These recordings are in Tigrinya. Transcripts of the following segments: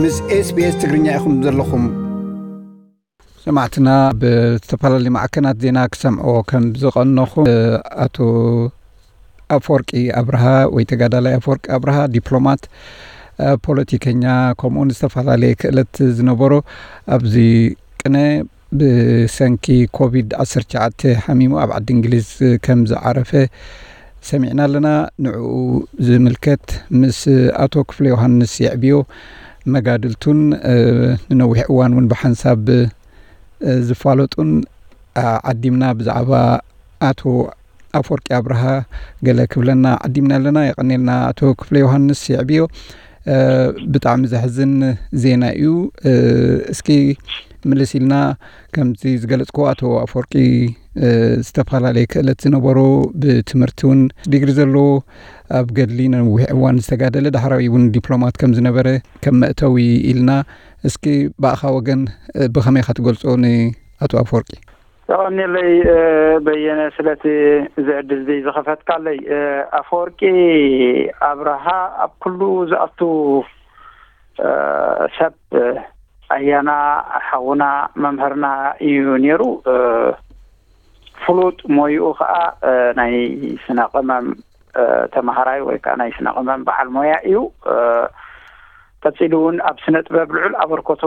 ምስ SBS ትግርኛ ኢኹም ዘለኹም። ሰማዕትና ብዝተፈላለዩ ማዕከናት ዜና ክሰምዕዎ ከም ዝቐነኹ፣ ኣቶ ኣፈወርቂ ኣብርሃ ወይ ተጋዳላይ ኣፈወርቂ ኣብርሃ ዲፕሎማት፣ ፖለቲከኛ፣ ከምኡውን ዝተፈላለየ ክእለት ዝነበሮ፣ ኣብዚ ቅነ ብሰንኪ ኮቪድ ዓሰርተ ትሽዓተ ሓሚሙ ኣብ ዓዲ እንግሊዝ ከም ዝዓረፈ ሰሚዕና ኣለና። ንዕኡ ዝምልከት ምስ ኣቶ ክፍለ ዮሃንስ የዕብዮ መጋድልቱን ንነዊሕ እዋን እውን ብሓንሳብ ዝፋለጡን ዓዲምና ብዛዕባ ኣቶ ኣፈወርቂ ኣብርሃ ገለ ክብለና ዓዲምና ኣለና። የቐኔልና ኣቶ ክፍለ ዮሃንስ የዕብዮ። ብጣዕሚ ዘሕዝን ዜና እዩ። እስኪ ምልስ ኢልና፣ ከምዚ ዝገለጽኩ ኣቶ ኣፈወርቂ ዝተፈላለየ ክእለት ዝነበሮ፣ ብትምህርቲ እውን ዲግሪ ዘለዎ፣ ኣብ ገድሊ ነዊሕ እዋን ዝተጋደለ፣ ዳሕራዊ እውን ዲፕሎማት ከም ዝነበረ ከም መእተዊ ኢልና፣ እስኪ ብኣኻ ወገን ብኸመይ ኢኻ ትገልጾ ንኣቶ ኣፈወርቂ? ተቐኒለይ በየነ ስለቲ እዚ ዕድል እዚ ዝኸፈትካለይ። ኣፈወርቂ ኣብርሃ ኣብ ኩሉ ዝኣቱ ሰብ ኣያና ሓውና መምህርና እዩ ነይሩ። ፍሉጥ ሞይኡ ከዓ ናይ ስነ ቅመም ተማሃራይ ወይ ከዓ ናይ ስነ ቅመም በዓል ሞያ እዩ። ቀፂሉ እውን ኣብ ስነ ጥበብ ልዑል ኣበርኮቶ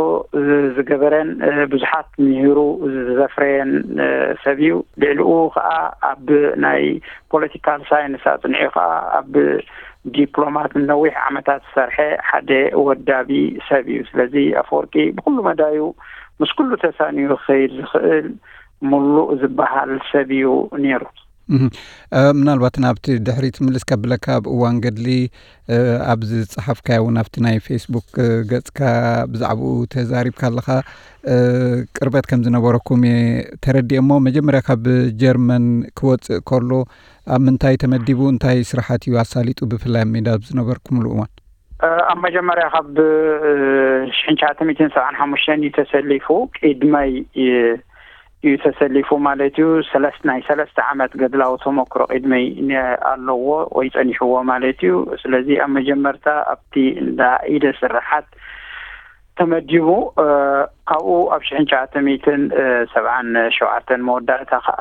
ዝገበረን ብዙሓት ምሂሩ ዘፍረየን ሰብ እዩ። ልዕሊኡ ከዓ ኣብ ናይ ፖለቲካል ሳይንስ ኣፅኒዑ ከዓ ኣብ ዲፕሎማት ንነዊሕ ዓመታት ዝሰርሐ ሓደ ወዳቢ ሰብ እዩ። ስለዚ ኣፈወርቂ ብኩሉ መዳዩ ምስ ኩሉ ተሳንዩ ክኸይድ ዝኽእል ምሉእ ዝበሃል ሰብ እዩ ነይሩ። ምናልባት ናብቲ ድሕሪት ምልስ ከብለካ፣ ኣብ እዋን ገድሊ ኣብ ዝፀሓፍካዮ እውን ኣብቲ ናይ ፌስቡክ ገፅካ ብዛዕባኡ ተዛሪብካ ኣለኻ። ቅርበት ከም ዝነበረኩም እየ ተረዲኤ። እሞ መጀመርያ ካብ ጀርመን ክወፅእ ከሎ ኣብ ምንታይ ተመዲቡ፣ እንታይ ስራሓት እዩ ኣሳሊጡ፣ ብፍላይ ኣብ ሜዳ ኣብ ዝነበርኩምሉ እዋን? ኣብ መጀመርያ ካብ ሽሕን ትሽዓተ ሚእትን ሰብዓን ሓሙሽተን እዩ ተሰሊፉ። ቅድመይ እዩ ተሰሊፉ ማለት እዩ። ሰለስተ ናይ ሰለስተ ዓመት ገድላዊ ተመክሮ ቅድመይ ኣለዎ ወይ ጸኒሕዎ ማለት እዩ። ስለዚ ኣብ መጀመርታ ኣብቲ እንዳ ኢደ ስርሓት ተመዲቡ። ካብኡ ኣብ ሽሕን ትሽዓተ ሚእትን ሰብዓን ሸውዓተን መወዳእታ ከዓ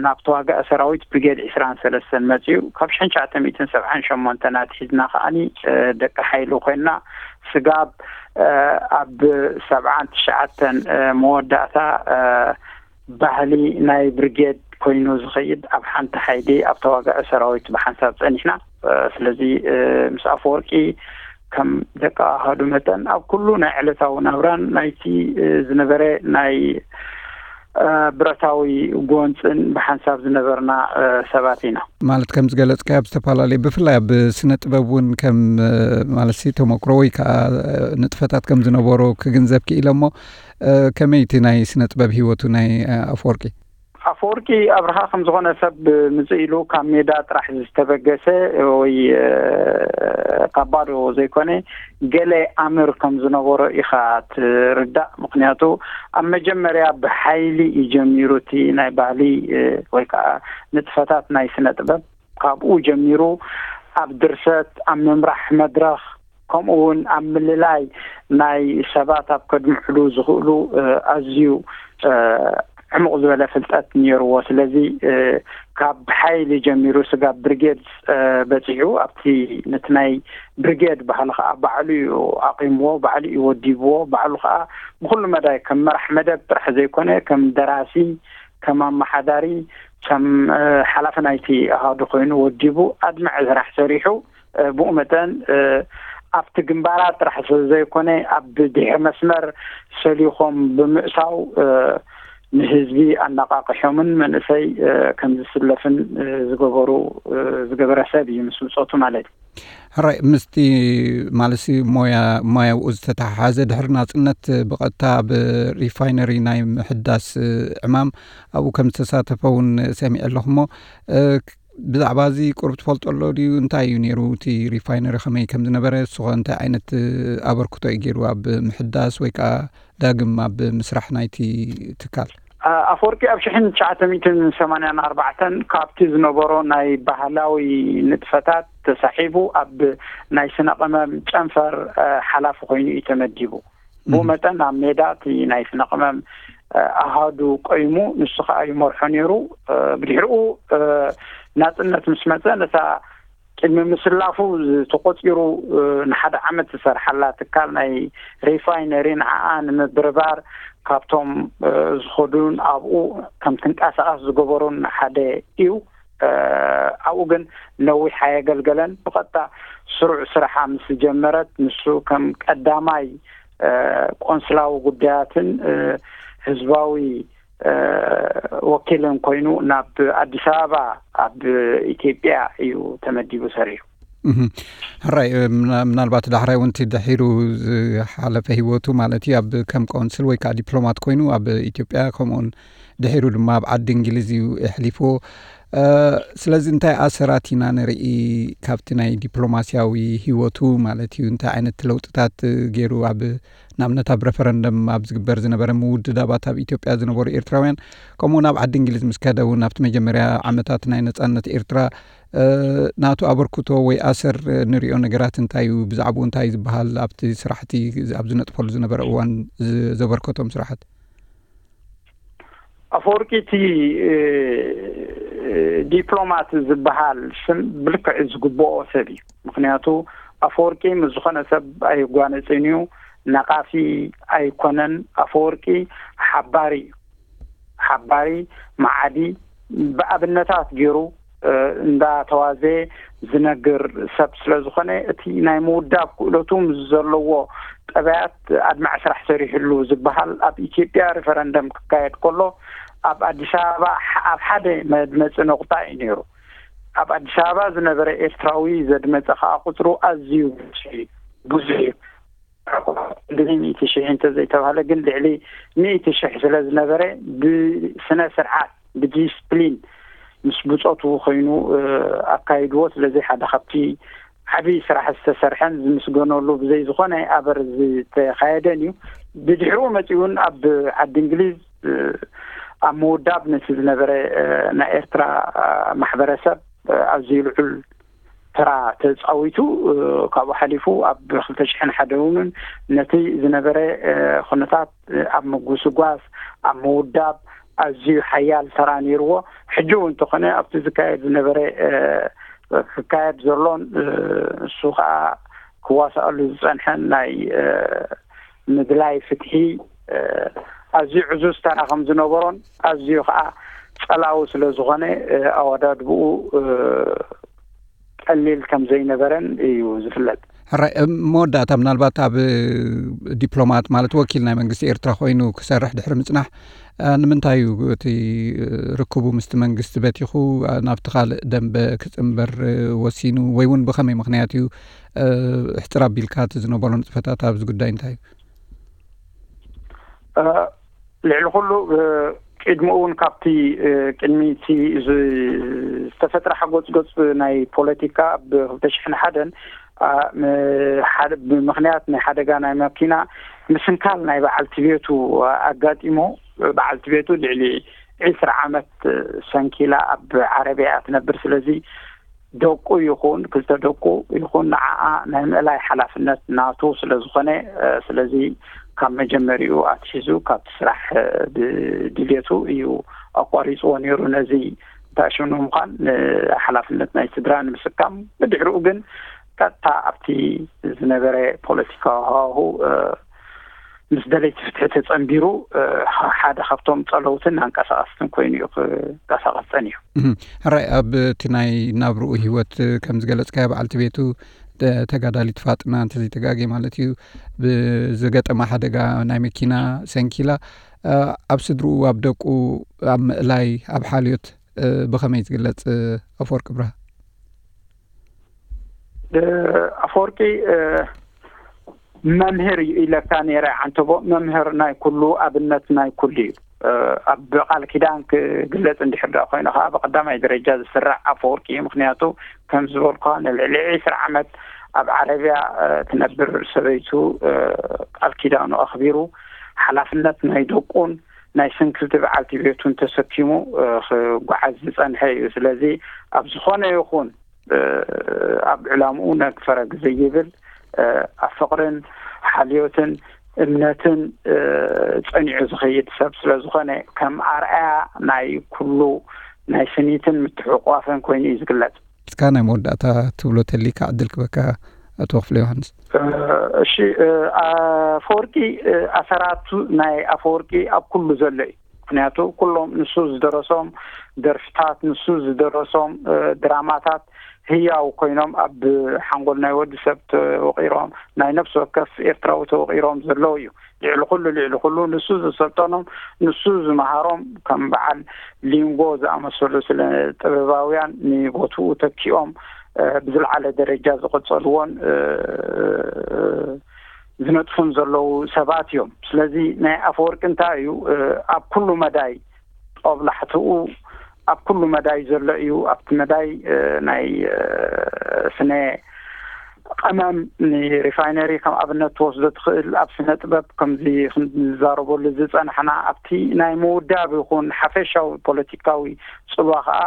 ናብ ተዋጋኢ ሰራዊት ብርጌድ ዕስራን ሰለስተን መፅዩ። ካብ ሽሕን ትሽዓተ ሚእትን ሰብዓን ሸሞንተን ኣትሒዝና ከዓኒ ደቂ ሓይሊ ኮይና፣ ስጋብ ኣብ ሰብዓን ትሽዓተን መወዳእታ ባህሊ ናይ ብርጌድ ኮይኑ ዝኸይድ፣ ኣብ ሓንቲ ሓይሊ ኣብ ተዋጋኢ ሰራዊት ብሓንሳብ ጸኒሕና። ስለዚ ምስ ኣፈወርቂ ከም ደቂ ኣሃዱ መጠን ኣብ ኩሉ ናይ ዕለታዊ ናብራን ናይቲ ዝነበረ ናይ ብረታዊ ጎንፅን ብሓንሳብ ዝነበርና ሰባት ኢና። ማለት ከም ዝገለጽካዮ፣ ኣብ ዝተፈላለዩ፣ ብፍላይ ኣብ ስነ ጥበብ እውን ከም ማለት ሲ ተመክሮ ወይ ከዓ ንጥፈታት ከም ዝነበሮ ክግንዘብ ክኢለ። እሞ ከመይ እቲ ናይ ስነ ጥበብ ህይወቱ ናይ ኣፈወርቂ? ኣፈወርቂ ኣብርሃ ከም ዝኾነ ሰብ ምጽእ ኢሉ ካብ ሜዳ ጥራሕ ዝተበገሰ ወይ ካብ ባዶ ዘይኮነ፣ ገለ ኣምር ከም ዝነበሮ ኢኻ ትርዳእ። ምኽንያቱ ኣብ መጀመርያ ብሓይሊ እዩ ጀሚሩ እቲ ናይ ባህሊ ወይ ከዓ ንጥፈታት ናይ ስነ ጥበብ። ካብኡ ጀሚሩ ኣብ ድርሰት፣ ኣብ ምምራሕ መድረኽ፣ ከምኡ እውን ኣብ ምልላይ ናይ ሰባት ኣብ ከድምዕሉ ዝኽእሉ ኣዝዩ ዕሙቕ ዝበለ ፍልጠት ነይርዎ። ስለዚ ካብ ሓይሊ ጀሚሩ ስጋብ ብርጌድ በፂሑ፣ ኣብቲ ነቲ ናይ ብርጌድ ባህሊ ከዓ ባዕሉ እዩ ኣቂምዎ፣ ባዕሉ እዩ ወዲብዎ። ባዕሉ ከዓ ብኩሉ መዳይ ከም መራሕ መደብ ጥራሕ ዘይኮነ፣ ከም ደራሲ፣ ከም ኣመሓዳሪ፣ ከም ሓላፊ ናይቲ ኣሃዱ ኮይኑ ወዲቡ ኣድማዒ ስራሕ ሰሪሑ። ብኡ መጠን ኣብቲ ግንባራት ጥራሕ ስለ ዘይኮነ፣ ኣብ ድሕሪ መስመር ሰሊኾም ብምእታው ንህዝቢ ኣነቃቂሖምን መንእሰይ ከም ዝስለፍን ዝገበሩ ዝገበረ ሰብ እዩ፣ ምስ ብጾቱ ማለት እዩ። ሕራይ፣ ምስቲ ማለትሲ ሞያ ሞያኡ ዝተተሓሓዘ፣ ድሕሪ ናጽነት ብቐጥታ ኣብ ሪፋይነሪ ናይ ምሕዳስ ዕማም ኣብኡ ከም ዝተሳተፈ እውን ሰሚዐ ኣለኹ። እሞ ብዛዕባ እዚ ቁሩብ ትፈልጦ ኣሎ ድዩ? እንታይ እዩ ነይሩ እቲ ሪፋይነሪ፣ ከመይ ከም ዝነበረ፣ እሱ ኸ እንታይ ዓይነት ኣበርክቶ እዩ ገይሩ ኣብ ምሕዳስ ወይ ከዓ ዳግም ኣብ ምስራሕ ናይቲ ትካል? ኣፈወርቂ ኣብ ሽሕን ትሽዓተ ሚእትን ሰማንያን ኣርባዕተን ካብቲ ዝነበሮ ናይ ባህላዊ ንጥፈታት ተሳሒቡ ኣብ ናይ ስነ ቅመም ጨንፈር ሓላፊ ኮይኑ እዩ ተመዲቡ። ብኡ መጠን ኣብ ሜዳ እቲ ናይ ስነ ቅመም ኣሃዱ ቆይሙ ንሱ ከዓ ይመርሖ ነይሩ። ብድሕሪኡ ናፅነት ምስ መፀ ነታ ቅድሚ ምስላፉ ተቆፂሩ ንሓደ ዓመት ዝሰርሓላ ትካል ናይ ሪፋይነሪ ንዓኣ ንምብርባር ካብቶም ዝኸዱን ኣብኡ ከም ትንቀሳቐስ ዝገበሩን ሓደ እዩ። ኣብኡ ግን ነዊሕ ኣየገልገለን። ብቐጥታ ስሩዕ ስራሓ ምስ ጀመረት ንሱ ከም ቀዳማይ ቆንስላዊ ጉዳያትን ህዝባዊ ወኪልን ኮይኑ ናብ ኣዲስ ኣበባ ኣብ ኢትዮጵያ እዩ ተመዲቡ ሰሪሑ። ሕራይ ምናልባት ዳሕራይ እውን ድሒሩ ዝሓለፈ ህይወቱ ማለት እዩ ኣብ ከም ቆንስል ወይ ከዓ ዲፕሎማት ኮይኑ ኣብ ኢትዮጵያ ከምኡውን ድሒሩ ድማ ኣብ ዓዲ እንግሊዝ እዩ ኣሕሊፍዎ። ስለዚ እንታይ ኣሰራት ኢና ንርኢ ካብቲ ናይ ዲፕሎማስያዊ ህይወቱ ማለት እዩ እንታይ ዓይነት ለውጥታት ገይሩ ኣብ ንኣብነት ኣብ ረፈረንደም ኣብ ዝግበር ዝነበረ ምውድዳባት ኣብ ኢትዮጵያ ዝነበሩ ኤርትራውያን ከምኡ ናብ ዓዲ እንግሊዝ ምስ ከደ እውን ኣብቲ መጀመርያ ዓመታት ናይ ነፃነት ኤርትራ ናቱ ኣበርክቶ ወይ ኣሰር ንሪኦ ነገራት እንታይ እዩ ብዛዕባኡ እንታይ ዝበሃል ኣብቲ ስራሕቲ ኣብ ዝነጥፈሉ ዝነበረ እዋን ዘበርከቶም ስራሓት ኣፈወርቂ እቲ ዲፕሎማት ዝበሃል ስም ብልክዕ ዝግብኦ ሰብ እዩ። ምክንያቱ ኣፈወርቂ ምስ ዝኾነ ሰብ ኣይጓነፅን እዩ። ነቃፊ ኣይኮነን። ኣፈወርቂ ሓባሪ እዩ። ሓባሪ መዓዲ ብኣብነታት ገይሩ እንዳተዋዘየ ዝነግር ሰብ ስለ ዝኾነ እቲ ናይ ምውዳብ ክእለቱ ምስ ዘለዎ ጠባያት ኣድማዒ ስራሕ ሰሪሕሉ ዝበሃል ኣብ ኢትዮጵያ ሪፈረንደም ክካየድ ከሎ ኣብ ኣዲስ ኣበባ ኣብ ሓደ መድመፂ ነቑጣ እዩ ነይሩ። ኣብ ኣዲስ ኣበባ ዝነበረ ኤርትራዊ ዘድመፀ ከዓ ቁፅሩ ኣዝዩ ብዙሕ እዩ። ክንዲ ሚእቲ ሽሕ እንተዘይተባህለ ግን ልዕሊ ሚእቲ ሽሕ ስለ ዝነበረ ብስነ ስርዓት ብዲስፕሊን ምስ ብፆቱ ኮይኑ ኣካይድዎ። ስለዚ ሓደ ካብቲ ዓብዪ ስራሕ ዝተሰርሐን ዝምስገነሉ ብዘይ ዝኾነ ኣበር ዝተኻየደን እዩ። ብድሕሪኡ መፂኡ እውን ኣብ ዓዲ እንግሊዝ ኣብ ምውዳብ ነቲ ዝነበረ ናይ ኤርትራ ማሕበረሰብ ኣዝዩ ልዑል ተራ ተፃዊቱ። ካብኡ ሓሊፉ ኣብ ክልተ ሽሕን ሓደ እውን ነቲ ዝነበረ ኩነታት ኣብ ምጉስጓስ ኣብ ምውዳብ ኣዝዩ ሓያል ተራ ነይርዎ። ሕጂ እውን እንተኾነ ኣብቲ ዝካየድ ዝነበረ ክካየድ ዘሎን እሱ ከዓ ክዋሳኣሉ ዝፀንሐን ናይ ምድላይ ፍትሒ ኣዝዩ ዕዙዝ ተራ ከም ዝነበሮን ኣዝዩ ከዓ ፀላዊ ስለ ዝኾነ ኣወዳድብኡ ቀሊል ከም ዘይነበረን እዩ ዝፍለጥ። ሕራይ መወዳእታ ምናልባት ኣብ ዲፕሎማት ማለት ወኪል ናይ መንግስቲ ኤርትራ ኮይኑ ክሰርሕ ድሕሪ ምፅናሕ ንምንታይ እዩ እቲ ርክቡ ምስቲ መንግስቲ በቲኹ ናብቲ ካልእ ደንበ ክፅንበር ወሲኑ ወይ እውን ብኸመይ ምክንያት እዩ ሕፅር ኣቢልካ እቲ ዝነበሮ ንጥፈታት ኣብዚ ጉዳይ እንታይ እዩ? ልዕሊ ኩሉ ቅድሚ እውን ካብቲ ቅድሚ እቲ ዝተፈጥረ ሓጎፅጎፅ ናይ ፖለቲካ ብ ክልተ ሽሕን ሓደን ብምክንያት ናይ ሓደጋ ናይ መኪና ምስንካል ናይ በዓልቲ ቤቱ ኣጋጢሞ። በዓልቲ ቤቱ ልዕሊ ዕስራ ዓመት ሰንኪላ ኣብ ዓረብያ ትነብር። ስለዚ ደቁ ይኹን ክልተ ደቁ ይኹን ንዓኣ ናይ ምእላይ ሓላፍነት ናቱ ስለ ዝኾነ ስለዚ ካብ መጀመሪኡ ኣትሒዙ ካብቲ ስራሕ ብድልየቱ እዩ ኣቋሪፅዎ ነይሩ። ነዚ ተኣሽኑ ምዃን ሓላፍነት ናይ ስድራ ንምስካም ብድሕሪኡ ግን ቀጥታ ኣብቲ ዝነበረ ፖለቲካዊ ሃዋሁ ምስ ደለይቲ ፍትሒ ተጸንቢሩ ሓደ ካብቶም ጸለውትን ኣንቀሳቐስትን ኮይኑ እዩ ክንቀሳቐስ ጸኒሑ። ሕራይ ኣብ እቲ ናይ ናብርኡ ህይወት ከም ዝገለጽካዮ በዓልቲ ቤቱ ተጋዳሊት ፋጥና እንተዘይተጋጌ ማለት እዩ ብዝገጠማ ሓደጋ ናይ መኪና ሰንኪላ ኣብ ስድርኡ ኣብ ደቁ ኣብ ምእላይ ኣብ ሓልዮት ብኸመይ ዝግለጽ ኣፈወርቂ ብርሃ? ኣፈወርቂ መምህር እዩ ኢለካ ነይረ ዓንተቦ። መምህር ናይ ኩሉ ኣብነት ናይ ኩሉ እዩ። ኣብ ቃል ኪዳን ክግለጽ እንድሕር ደኣ ኮይኑ ከዓ ብቀዳማይ ደረጃ ዝስራዕ ኣፈወርቂ እዩ። ምክንያቱ ከም ዝበልኳ ንልዕሊ ዕስራ ዓመት ኣብ ዓረብያ ትነብር ሰበይቱ ቃል ኪዳኑ ኣኽቢሩ ሓላፍነት ናይ ደቁን ናይ ስንክልቲ በዓልቲ ቤቱን ተሰኪሙ ክጓዓዝ ዝጸንሐ እዩ። ስለዚ ኣብ ዝኾነ ይኹን ኣብ ዕላምኡ ነግ ፈረግ ዘይብል ኣብ ፍቕርን ሓልዮትን እምነትን ጸኒዑ ዝኸይድ ሰብ ስለ ዝኾነ ከም ኣርኣያ ናይ ኩሉ ናይ ስኒትን ምትሕቋፍን ኮይኑ እዩ ዝግለጽ። እስካ ናይ መወዳእታ ትብሎ ተሊካ ዕድል ክበካ ኣቶ ክፍለ ዮሃንስ። እሺ፣ ኣፈወርቂ፣ ኣሰራቱ ናይ ኣፈወርቂ ኣብ ኩሉ ዘሎ እዩ። ምክንያቱ ኩሎም ንሱ ዝደረሶም ደርፍታት፣ ንሱ ዝደረሶም ድራማታት ህያው ኮይኖም ኣብ ሓንጎል ናይ ወዲ ሰብ ተወቂሮም፣ ናይ ነፍሲ ወከፍ ኤርትራዊ ተወቂሮም ዘለዉ እዩ። ልዕሊ ኩሉ ልዕሊ ኩሉ ንሱ ዝሰልጠኖም፣ ንሱ ዝመሃሮም ከም በዓል ሊንጎ ዝኣመሰሉ ስለ ጥበባውያን ንቦትኡ ተኪኦም ብዝለዓለ ደረጃ ዝቐጸልዎን ዝነጥፉን ዘለዉ ሰባት እዮም። ስለዚ ናይ ኣፈወርቂ እንታይ እዩ፣ ኣብ ኩሉ መዳይ ጦብላሕትኡ ኣብ ኩሉ መዳይ ዘሎ እዩ። ኣብቲ መዳይ ናይ ስነ ቀመም ንሪፋይነሪ ከም ኣብነት ትወስዶ ትኽእል። ኣብ ስነ ጥበብ ከምዚ ክንዛረበሉ ዝጸናሕና ኣብቲ ናይ ምውዳብ ይኹን ሓፈሻዊ ፖለቲካዊ ጽልዋ ከዓ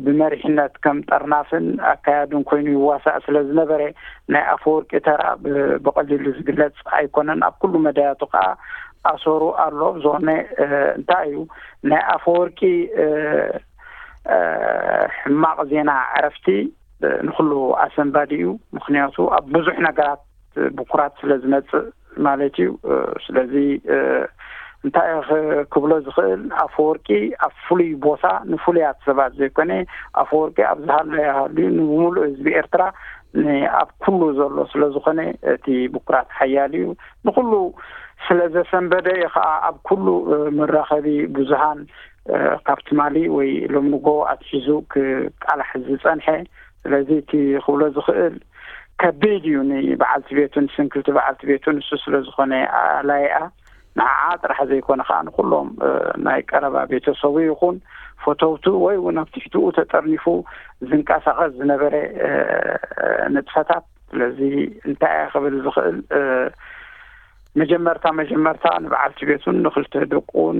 ብመሪሕነት ከም ጠርናፍን ኣካያድን ኮይኑ ይዋሳእ ስለ ዝነበረ ናይ ኣፈወርቂ ተራ ብቐሊሉ ዝግለጽ ኣይኮነን። ኣብ ኩሉ መዳያቱ ከዓ ኣሰሩ ኣሎ። ብዝኾነ እንታይ እዩ ናይ ኣፈወርቂ ሕማቕ ዜና ዕረፍቲ ንኩሉ ኣሰንባዲ እዩ። ምክንያቱ ኣብ ብዙሕ ነገራት ብኩራት ስለ ዝመጽእ ማለት እዩ። ስለዚ እንታይ ክብሎ ዝኽእል፣ ኣፈወርቂ ኣብ ፍሉይ ቦታ ንፍሉያት ሰባት ዘይኮነ፣ ኣፈወርቂ ኣብ ዝሃለዮ ሃልዩ ንብምሉእ ህዝቢ ኤርትራ ኣብ ኩሉ ዘሎ ስለ ዝኾነ እቲ ብኩራት ሓያል እዩ። ንኩሉ ስለ ዘሰንበደ እዩ ከዓ ኣብ ኩሉ መራኸቢ ብዙሃን ካብ ትማሊ ወይ ሎም ንጎ ኣትሒዙ ክቃላሕ ዝጸንሐ። ስለዚ እቲ ክብሎ ዝኽእል ከቢድ እዩ። ንበዓልቲ ቤቱን ስንክልቲ በዓልቲ ቤቱን እሱ ስለ ዝኾነ ኣላይኣ ንዓዓ ጥራሕ ዘይኮነ ከዓ ንኩሎም ናይ ቀረባ ቤተሰቡ ይኹን ፈተውቱ ወይ እውን ኣብ ትሕትኡ ተጠርኒፉ ዝንቀሳቐስ ዝነበረ ንጥፈታት። ስለዚ እንታይ እየ ክብል ዝኽእል፣ መጀመርታ መጀመርታ ንበዓልቲ ቤቱን ንክልተ ደቁን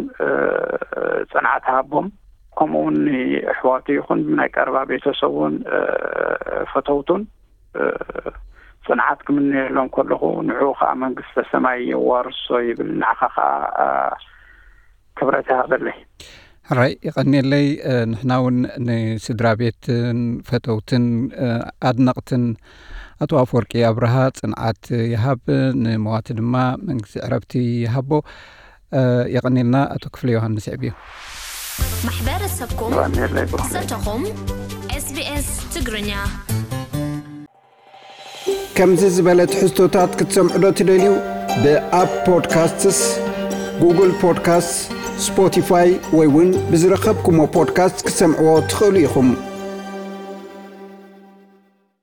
ጽንዓት ሃቦም፣ ከምኡ እውን ንኣሕዋቱ ይኹን ናይ ቀረባ ቤተሰቡን ፈተውቱን ጽንዓት ክምነየሎም ከለኹ፣ ንዕኡ ከዓ መንግስተ ሰማይ የዋርሶ ይብል። ንዓኻ ከዓ ክብረት ይሃበለይ። ሕራይ ይቐንየለይ። ንሕና እውን ንስድራ ቤትን ፈተውትን ኣድነቕትን ኣቶ ኣፈወርቂ ኣብርሃ ጽንዓት ይሃብ፣ ንመዋቲ ድማ መንግስቲ ዕረፍቲ ይሃቦ። የቐንየልና ኣቶ ክፍለ ዮሃንስ ዕብዩ። ማሕበረሰብኩም ዘተኹም። SBS ትግርኛ። ከምዚ ዝበለ ትሕዝቶታት ክትሰምዑ ዶ ትደልዩ? ብኣፕ ፖድካስትስ፣ ጉግል ፖድካስትስ፣ ስፖቲፋይ ወይ እውን ብዝረኸብኩሞ ፖድካስት ክትሰምዕዎ ትኽእሉ ኢኹም።